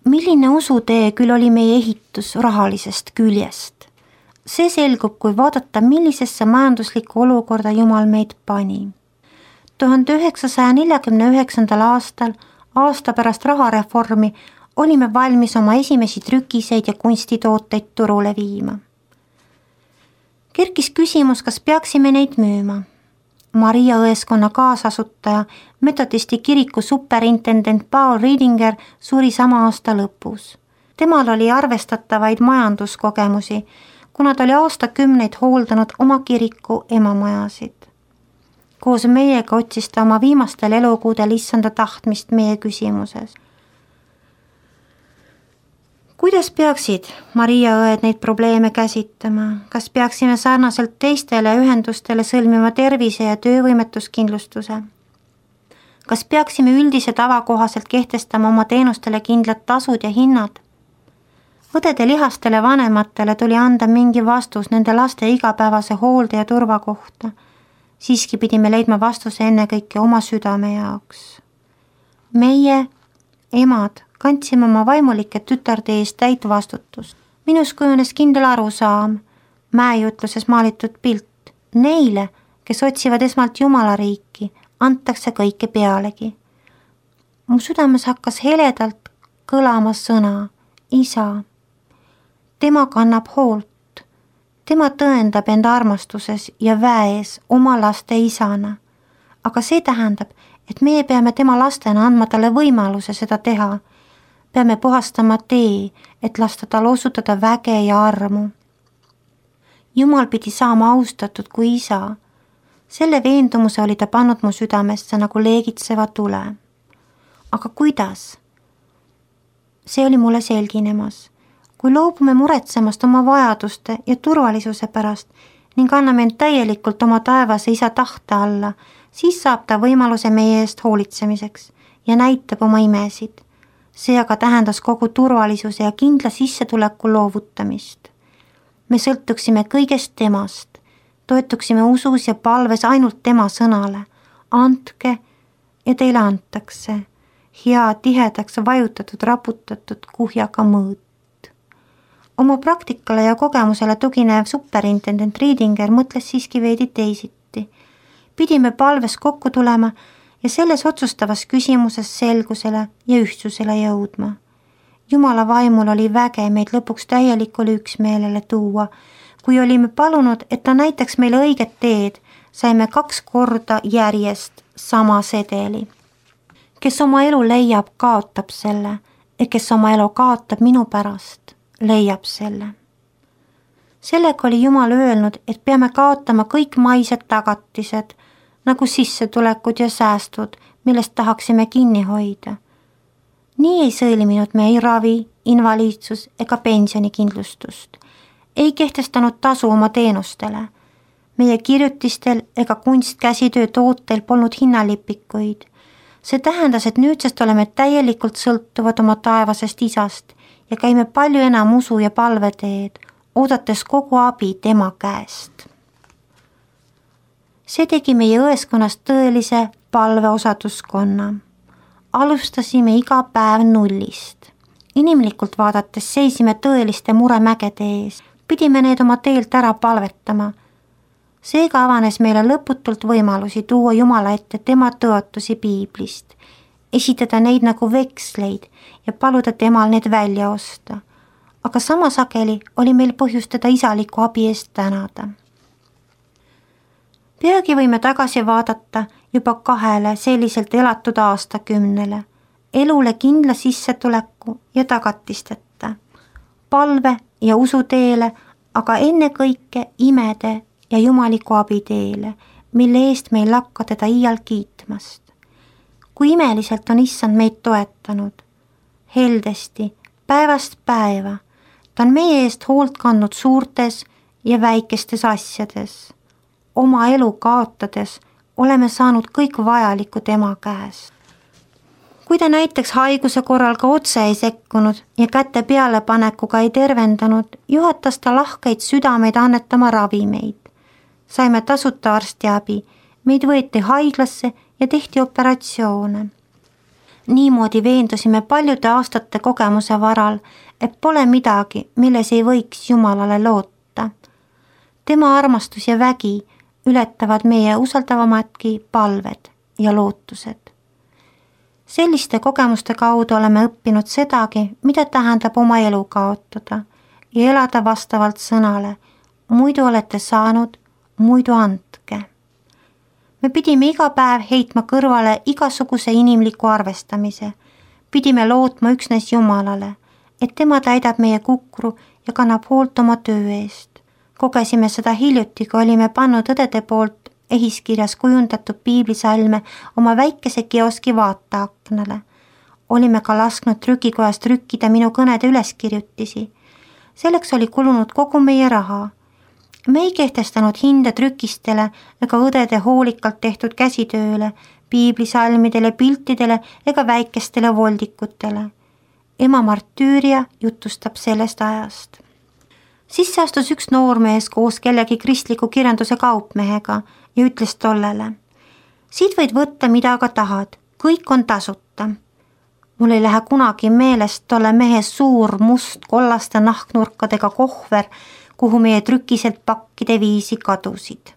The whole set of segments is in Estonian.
Milline usutee küll oli meie ehitus rahalisest küljest? See selgub, kui vaadata, millisesse majanduslikku olukorda Jumal meid pani. 1949. aastal, aasta pärast rahareformi, olime valmis oma esimesi trükiseid ja kunstituoteid turule viima. Kerkis küsimus, kas peaksime neid müüma. Maria õeskonna kaasasutaja, metodisti kiriku superintendent Paul Riedinger suri sama aasta lõpus. Temal oli arvestatavaid majanduskogemusi, kuna ta oli aastakümneid hooldanud oma kiriku emamajasid. Koos meiega otsis ta oma viimastel elukuudel issanda tahtmist meie küsimuses. Kuidas peaksid Maria õed neid probleeme käsitama? Kas peaksime sarnaselt teistele ühendustele sõlmima tervise- ja töövõimetuskindlustuse? Kas peaksime üldise tava kohaselt kehtestama oma teenustele kindlad tasud ja hinnad? Õdede lihastele vanematele tuli anda mingi vastus nende laste igapäevase hoolde ja turva kohta. Siiski pidime leidma vastuse ennekõike oma südame jaoks. Meie, emad, kandsime oma vaimulike tütarde eest täit vastutust. Minus kujunes kindel arusaam, mäejutluses maalitud pilt. Neile, kes otsivad esmalt Jumala riiki, antakse kõike pealegi. Mu südames hakkas heledalt kõlama sõna, isa. Tema kannab hoolt. Tema tõendab enda armastuses ja väes oma laste isana. Aga see tähendab, et meie peame tema lastena andma talle võimaluse seda teha. Peame puhastama tee, et lasta tal osutada väge ja armu. Jumal pidi saama austatud kui isa. Selle veendumuse oli ta pannud mu südamesse nagu leegitseva tule. Aga kuidas? See oli mulle selginemas. Kui loobume muretsemast oma vajaduste ja turvalisuse pärast ning anname end täielikult oma taevase isa tahte alla, siis saab ta võimaluse meie eest hoolitsemiseks ja näitab oma imesid. See aga tähendas kogu turvalisuse ja kindla sissetuleku loovutamist. Me sõltuksime kõigest temast, toetuksime usus ja palves ainult tema sõnale. Andke ja teile antakse. Hea tihedaks vajutatud, raputatud kuhjaga mõõt. Oma praktikale ja kogemusele tuginev superintendent Riedinger mõtles siiski veidi teisiti. Pidime palves kokku tulema ja selles otsustavas küsimuses selgusele ja ühtsusele jõudma. Jumala vaimul oli väge meid lõpuks täielikule üksmeelele tuua. Kui olime palunud, et ta näitaks meile õiget teed, saime 2 korda järjest sama sedeli. Kes oma elu leiab, kaotab selle, ja kes oma elu kaotab minu pärast, leiab selle. Sellega oli Jumal öelnud, et peame kaotama kõik maised tagatised, nagu sissetulekud ja säästud, millest tahaksime kinni hoida. Nii ei sõlminud me ei ravi, invaliidsus ega pensionikindlustust. Ei kehtestanud tasu oma teenustele. Meie kirjutistel ega kunstkäsitöö tootel polnud hinnalipikuid. See tähendas, et nüüdsest oleme täielikult sõltuvad oma taevasest isast ja käime palju enam usu ja palveteed, oodates kogu abi tema käest. See tegi meie õeskonnast tõelise palveosatuskonna. Alustasime iga päev nullist. Inimlikult vaadates seisime tõeliste muremägede ees, pidime need oma teelt ära palvetama. Seega avanes meile lõputult võimalusi tuua Jumala ette tema tõotusi piiblist, esitada neid nagu veksleid ja paluda temal need välja osta. Aga sama sageli oli meil põhjust teda isaliku abi eest tänada. Peagi võime tagasi vaadata juba 2 selliselt elatud aastakümnele, elule kindla sissetuleku ja tagatisteta, palve ja usuteele, aga ennekõike imede ja jumaliku abiteele, mille eest meil lakka teda iial kiitmast. Kui imeliselt on issand meid toetanud, heldesti, päevast päeva, ta on meie eest hoolt kandnud suurtes ja väikestes asjades. Oma elu kaotades oleme saanud kõik vajalikku tema käest. Kui ta näiteks haiguse korral ka otse ei sekkunud ja käte pealepanekuga ei tervendanud, juhatas ta lahkeid südameid annetama ravimeid. Saime tasuta arstiabi, meid võeti haiglasse ja tehti operatsioone. Niimoodi veendusime paljude aastate kogemuse varal, et pole midagi, milles ei võiks Jumalale loota. Tema armastus ja vägi ületavad meie usaldavamadki palved ja lootused. Selliste kogemuste kaudu oleme õppinud sedagi, mida tähendab oma elu kaotada ja elada vastavalt sõnale, muidu olete saanud, muidu andke. Me pidime iga päev heitma kõrvale igasuguse inimliku arvestamise, pidime lootma üksnes Jumalale, et tema täidab meie kukru ja kannab hoolt oma töö eest. Kogesime seda hiljuti, kui olime pannud õdede poolt ehiskirjas kujundatud piiblisalme oma väikese kioski vaateaknale. Olime ka lasknud trükikojas trükkida minu kõnede üleskirjutisi. Selleks oli kulunud kogu meie raha. Me ei kehtestanud hinde trükistele ega õdede hoolikalt tehtud käsitööle, piiblisalmidele, piltidele ega väikestele voldikutele. Ema Martüüria jutustab sellest ajast. Sisse astus üks noormees koos kellegi kristliku kirjanduse kaupmehega ja ütles tollele: siit võid võtta mida aga tahad, kõik on tasuta. Mul ei lähe kunagi meelest tolle mehe suur must kollaste nahknurkadega kohver, kuhu meie trükiselt pakkide viisi kadusid.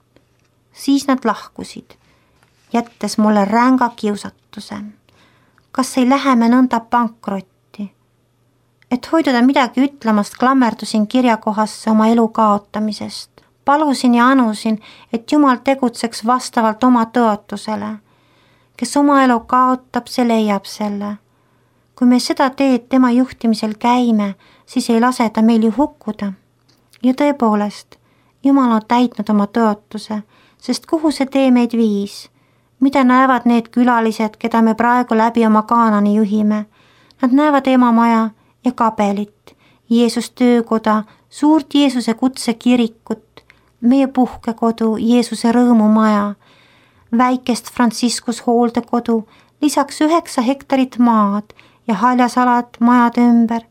Siis nad lahkusid, jättes mulle ränga kiusatuse. Kas ei lähe me nõnda pankrotti? Et hoiduda midagi ütlemast, klammerdusin kirjakohasse oma elu kaotamisest. Palusin ja anusin, et Jumal tegutseks vastavalt oma tõotusele. Kes oma elu kaotab, see leiab selle. Kui me seda teed tema juhtimisel käime, siis ei lase ta meil ju hukkuda. Ja tõepoolest, Jumal on täitnud oma tõotuse, sest kuhu see tee meid viis? Mida näevad need külalised, keda me praegu läbi oma Kaanani juhime? Nad näevad emamaja ja kabelit, Jeesus töökoda, suurt Jeesuse kutsekirikut, meie puhkekodu, Jeesuse rõõmumaja, väikest Franciscus hooldekodu, lisaks 9 hektarit maad ja haljasalad majade ümber.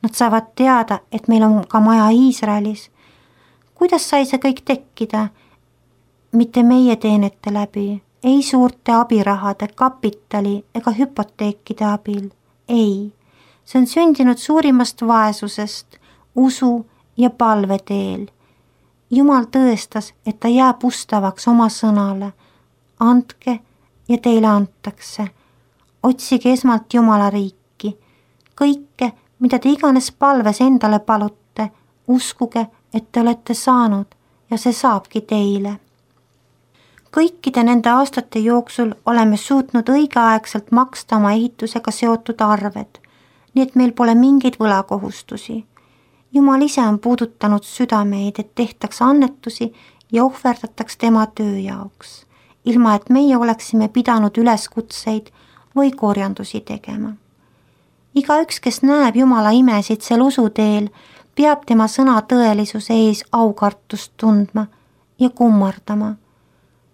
Nad saavad teada, et meil on ka maja Iisraelis. Kuidas sai see kõik tekkida? Mitte meie teenete läbi, ei suurte abirahade, kapitali ega hüpoteekide abil, ei. See on sündinud suurimast vaesusest, usu ja palve teel. Jumal tõestas, et ta jääb ustavaks oma sõnale. Andke ja teile antakse. Otsige esmalt Jumala riiki. Kõike, mida te iganes palves endale palute, uskuge, et te olete saanud ja see saabki teile. Kõikide nende aastate jooksul oleme suutnud õigeaegselt maksta oma ehitusega seotud arved, nii et meil pole mingeid võlakohustusi. Jumal ise on puudutanud südameid, et tehtaks annetusi ja ohverdataks tema töö jaoks, ilma et meie oleksime pidanud üleskutseid või korjandusi tegema. Igaüks, kes näeb Jumala imesid sel usuteel, peab tema sõna tõelisuse ees aukartust tundma ja kummardama.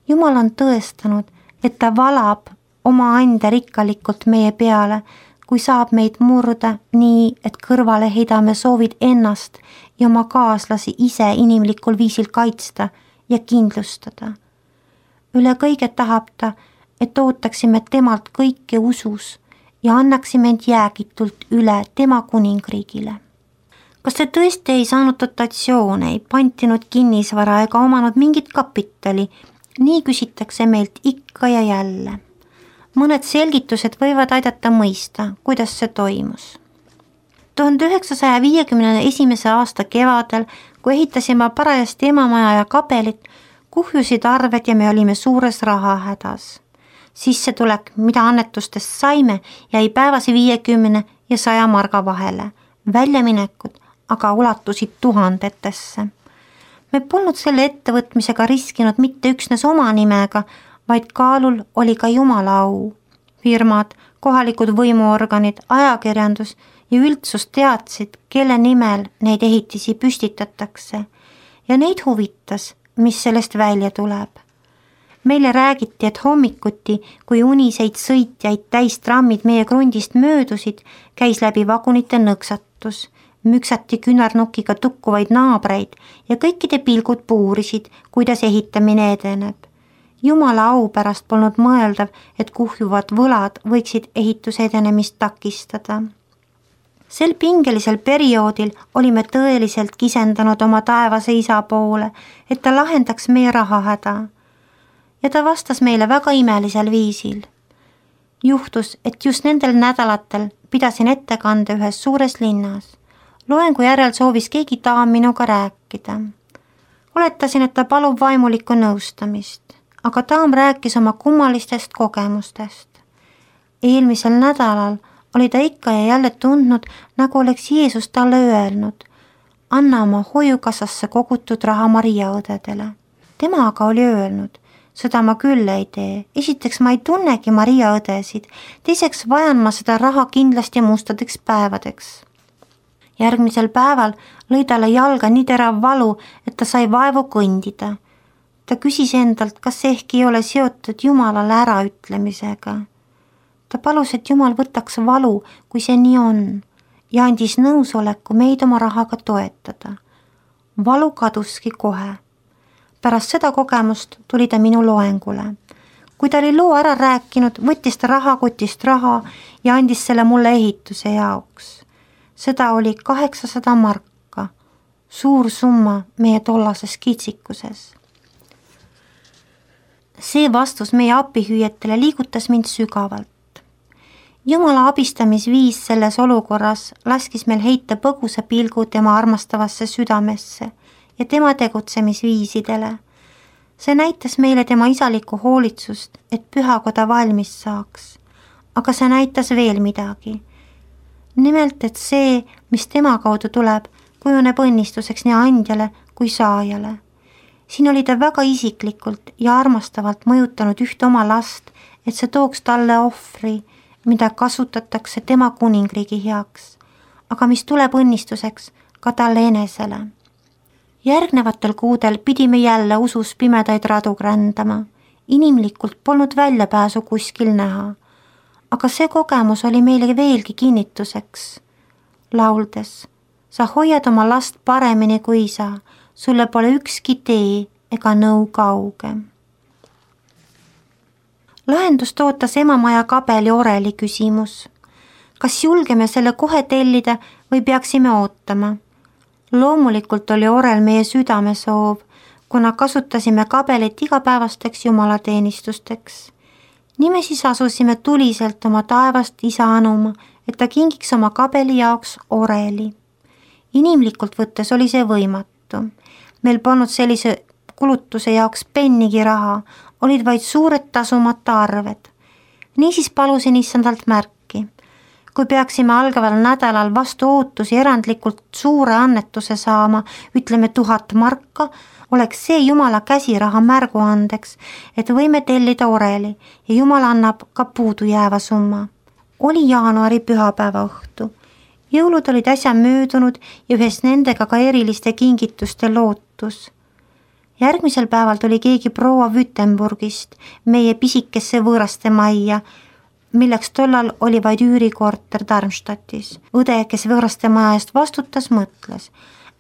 Jumal on tõestanud, et ta valab oma ande rikkalikult meie peale, kui saab meid murda nii, et kõrvale heidame soovid ennast ja oma kaaslasi ise inimlikul viisil kaitsta ja kindlustada. Üle kõige tahab ta, et ootaksime temalt kõike usus ja annaksime end jäägitult üle tema kuningriigile. Kas te tõesti ei saanud dotatsioone, ei pantinud kinnisvara ega omanud mingit kapitali? Nii küsitakse meilt ikka ja jälle. Mõned selgitused võivad aidata mõista, kuidas see toimus. 1951. aasta kevadel, kui ehitasime parajasti emamaja ja kabelit, kuhjusid arved ja me olime suures rahahädas. Sissetulek, mida annetustest saime, jäi päevase 50 ja 100 marga vahele. Väljaminekud aga ulatusid tuhandetesse. Me polnud selle ettevõtmisega riskinud mitte üksnes oma nimega, vaid kaalul oli ka Jumala au. Firmad, kohalikud võimuorganid, ajakirjandus ja üldsus teadsid, kelle nimel neid ehitisi püstitatakse ja neid huvitas, mis sellest välja tuleb. Meile räägiti, et hommikuti, kui uniseid sõitjaid täis trammid meie krundist möödusid, käis läbi vagunite nõksatus. Müksati künarnukiga tukkuvaid naabreid ja kõikide pilgud puurisid, kuidas ehitamine edeneb. Jumala au pärast polnud mõeldav, et kuhjuvad võlad võiksid ehituse edenemist takistada. Sel pingelisel perioodil olime tõeliselt kisendanud oma taevase isa poole, et ta lahendaks meie rahahäda. Ja ta vastas meile väga imelisel viisil. Juhtus, et just nendel nädalatel pidasin ettekande ühes suures linnas. Loengu järel soovis keegi daam minuga rääkida. Oletasin, et ta palub vaimulikku nõustamist, aga daam rääkis oma kummalistest kogemustest. Eelmisel nädalal oli ta ikka ja jälle tundnud, nagu oleks Jeesus talle öelnud, anna oma hoiukassasse kogutud raha Maria õdedele. Tema aga oli öelnud, seda ma küll ei tee. Esiteks ma ei tunnegi Maria õdesid, teiseks vajan ma seda raha kindlasti mustadeks päevadeks. Järgmisel päeval lõi talle jalga nii terav valu, et ta sai vaevu kõndida. Ta küsis endalt, kas see ehk ei ole seotud Jumalale äraütlemisega. Ta palus, et Jumal võtaks valu, kui see nii on, ja andis nõusoleku meid oma rahaga toetada. Valu kaduski kohe. Pärast seda kogemust tuli ta minu loengule. Kui ta oli loo ära rääkinud, võttis ta rahakotist raha ja andis selle mulle ehituse jaoks. Seda oli 800 marka, suur summa meie tollases kitsikuses. See vastus meie apihüüetele liigutas mind sügavalt. Jumala abistamisviis selles olukorras laskis meil heita põgusa pilgu tema armastavasse südamesse ja tema tegutsemisviisidele. See näitas meile tema isalikku hoolitsust, et pühakoda valmis saaks. Aga see näitas veel midagi. Nimelt, et see, mis tema kaudu tuleb, kujuneb õnnistuseks nii andjale kui saajale. Siin oli ta väga isiklikult ja armastavalt mõjutanud ühte oma last, et see tooks talle ohvri, mida kasutatakse tema kuningriigi heaks, aga mis tuleb õnnistuseks ka talle enesele. Järgnevatel kuudel pidime jälle usus pimedaid radu grändama. Inimlikult polnud väljapääsu kuskil näha. Aga see kogemus oli meile veelgi kinnituseks. Lauldes, sa hoiad oma last paremini kui isa, sulle pole ükski tee ega nõu kauge. Lahendust ootas emamaja kabeli oreli küsimus. Kas julgeme selle kohe tellida või peaksime ootama? Loomulikult oli orel meie südame soov, kuna kasutasime kabelit igapäevasteks jumalateenistusteks. Nii me siis asusime tuliselt oma taevast isa anuma, et ta kingiks oma kabeli jaoks oreli. Inimlikult võttes oli see võimatu. Meil polnud sellise kulutuse jaoks pennigi raha, olid vaid suured tasumata arved. Niisiis palusin issandalt märki. Kui peaksime algaval nädalal vastu ootusi erandlikult suure annetuse saama, ütleme 1000 marka, oleks see Jumala käsiraha märguandeks, et võime tellida oreli ja Jumal annab ka puudu jääva summa. Oli jaanuari pühapäeva õhtu. Jõulud olid äsja möödunud ja ühes nendega ka eriliste kingituste lootus. Järgmisel päeval tuli keegi proua Württembergist meie pisikesse võõraste majja, milleks tollal oli vaid üürikorter Darmstadtis. Õde, kes võõraste maja eest vastutas, mõtles.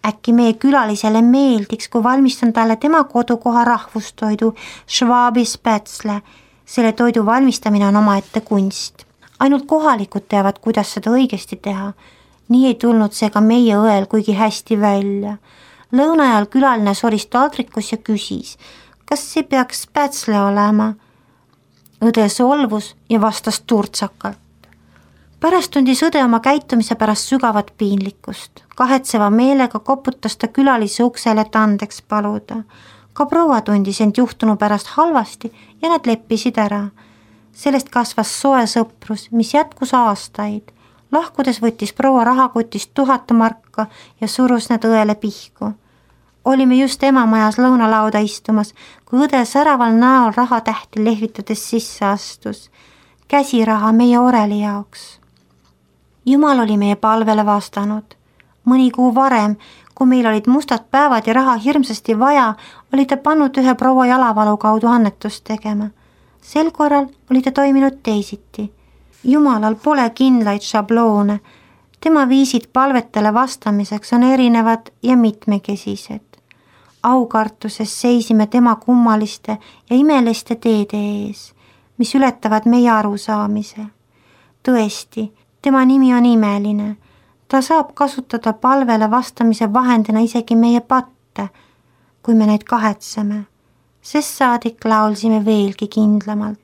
Äkki meie külalisele meeldiks, kui valmistan talle tema kodukoha rahvustoidu Schwabi Spätzle. Selle toidu valmistamine on omaette kunst. Ainult kohalikud teavad, kuidas seda õigesti teha. Nii ei tulnud see ka meie õel kuigi hästi välja. Lõunajal külaline soris taldrikus ja küsis, kas see peaks Spätzle olema. Õde solvus ja vastas turtsakalt. Pärast tundis õde oma käitumise pärast sügavat piinlikkust. Kahetseva meelega koputas ta külalise uksele, et andeks paluda. Ka proua tundis end juhtunu pärast halvasti ja nad leppisid ära. Sellest kasvas soe sõprus, mis jätkus aastaid. Lahkudes võttis proua rahakotist 1000 marka ja surus need õele pihku. Olime just emamajas lõunalauda istumas, kui õde säraval näol rahatähti lehvitades sisse astus. Käsiraha meie oreli jaoks. Jumal oli meie palvele vastanud. Mõni kuu varem, kui meil olid mustad päevad ja raha hirmsasti vaja, oli ta pannud ühe proua jalavalu kaudu annetust tegema. Sel korral oli ta toiminud teisiti. Jumalal pole kindlaid šabloone. Tema viisid palvetele vastamiseks on erinevad ja mitmekesised. aukartuses seisime tema kummaliste ja imeliste teede ees, mis ületavad meie arusaamise. Tõesti, tema nimi on imeline. Ta saab kasutada palvele vastamise vahendina isegi meie patte, kui me neid kahetseme. Sest saadik laulsime veelgi kindlamalt.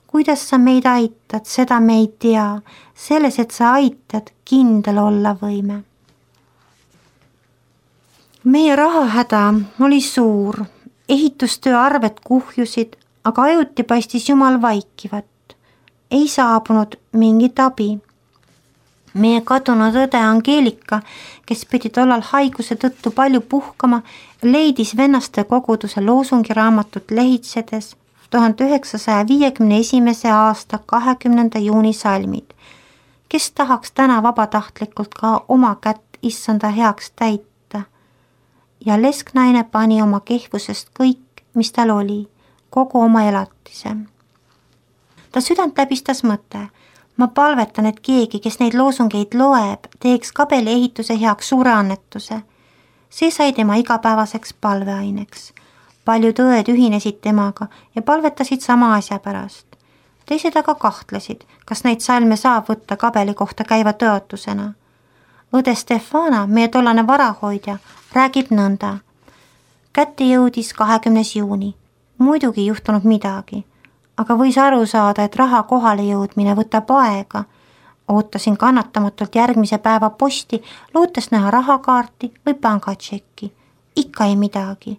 Kuidas sa meid aitad, seda me ei tea. Selles, et sa aitad, kindel olla võime. Meie rahahäda oli suur. Ehitustöö arved kuhjusid, aga ajuti paistis Jumal vaikivat. Ei saabunud mingit abi. Meie kadunud õde Angeelika, kes pidi tollal haiguse tõttu palju puhkama, leidis vennaste koguduse loosungiraamatut lehitsedes 1951. aasta 20. juuni salmid. Kes tahaks täna vabatahtlikult ka oma kätt issanda heaks täita? Ja lesknaine pani oma kehvusest kõik, mis tal oli, kogu oma elatise. Ta südant läbistas mõte. Ma palvetan, et keegi, kes neid loosungeid loeb, teeks kabeli ehituse heaks suure annetuse. See sai tema igapäevaseks palveaineks. Paljud õed ühinesid temaga ja palvetasid sama asja pärast. Teised aga kahtlesid, kas neid salme saab võtta kabeli kohta käiva tõotusena. Õde Stefana, meie tollane varahoidja, räägib nõnda. Kätte jõudis 20. juuni. Muidugi juhtunud midagi. Aga võis aru saada, et raha kohale jõudmine võtab aega. Ootasin kannatamatult järgmise päeva posti, lootes näha rahakaarti või pangatšekki. Ikka ei midagi.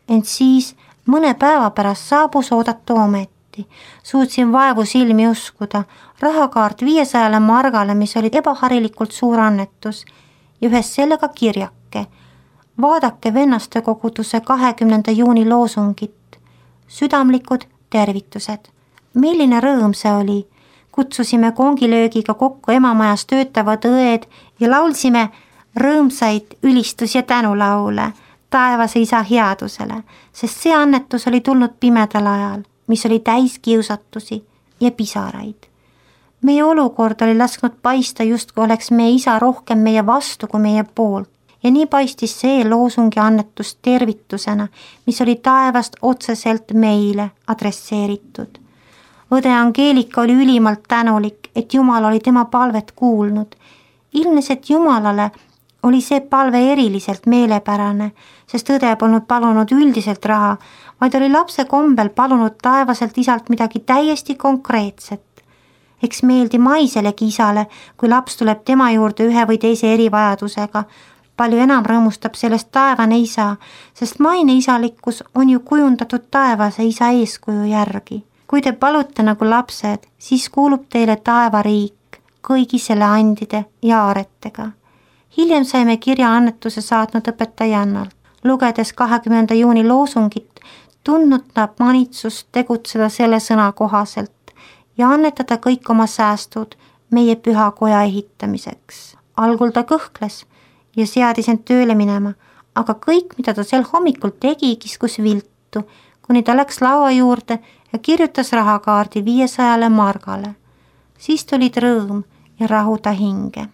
Ent siis mõne päeva pärast saabus oodatu ometi. Suutsin vaevu silmi uskuda. Rahakaart 500 margale, mis oli ebaharilikult suur annetus ja ühes sellega kirjake. Vaadake vennaste koguduse 20. juuni loosungit. Südamlikud tervitused. Milline rõõm see oli. Kutsusime kongilöögiga kokku emamajas töötavad õed ja laulsime rõõmsaid ülistus- ja tänulaule taevase isa headusele, sest see annetus oli tulnud pimedal ajal, mis oli täis kiusatusi ja pisaraid. Meie olukord oli lasknud paista justkui oleks meie isa rohkem meie vastu kui meie poolt. Ja nii paistis see loosungi annetus tervitusena, mis oli taevast otseselt meile adresseeritud. Õde Angeelika oli ülimalt tänulik, et Jumal oli tema palvet kuulnud. Ilmnes, et Jumalale oli see palve eriliselt meelepärane, sest õde polnud palunud üldiselt raha, vaid oli lapse kombel palunud taevaselt isalt midagi täiesti konkreetset. Eks meeldi maiselegi isale, kui laps tuleb tema juurde ühe või teise erivajadusega. Palju enam rõõmustab sellest taevane isa, sest maine isalikkus on ju kujundatud taevase isa eeskuju järgi. Kui te palute nagu lapsed, siis kuulub teile taevariik kõigi selle andide ja aaretega. Hiljem saime kirja annetuse saatnud õpetajannalt. Lugedes 20. juuni loosungit, tundnud ta manitsust tegutseda selle sõna kohaselt ja annetada kõik oma säästud meie pühakoja ehitamiseks. Algul ta kõhkles ja seadis end tööle minema, aga kõik, mida ta sel hommikul tegi, kiskus viltu, kuni ta läks laua juurde ja kirjutas rahakaardi 500 margale. Siis tulid rõõm ja rahu ta hinge.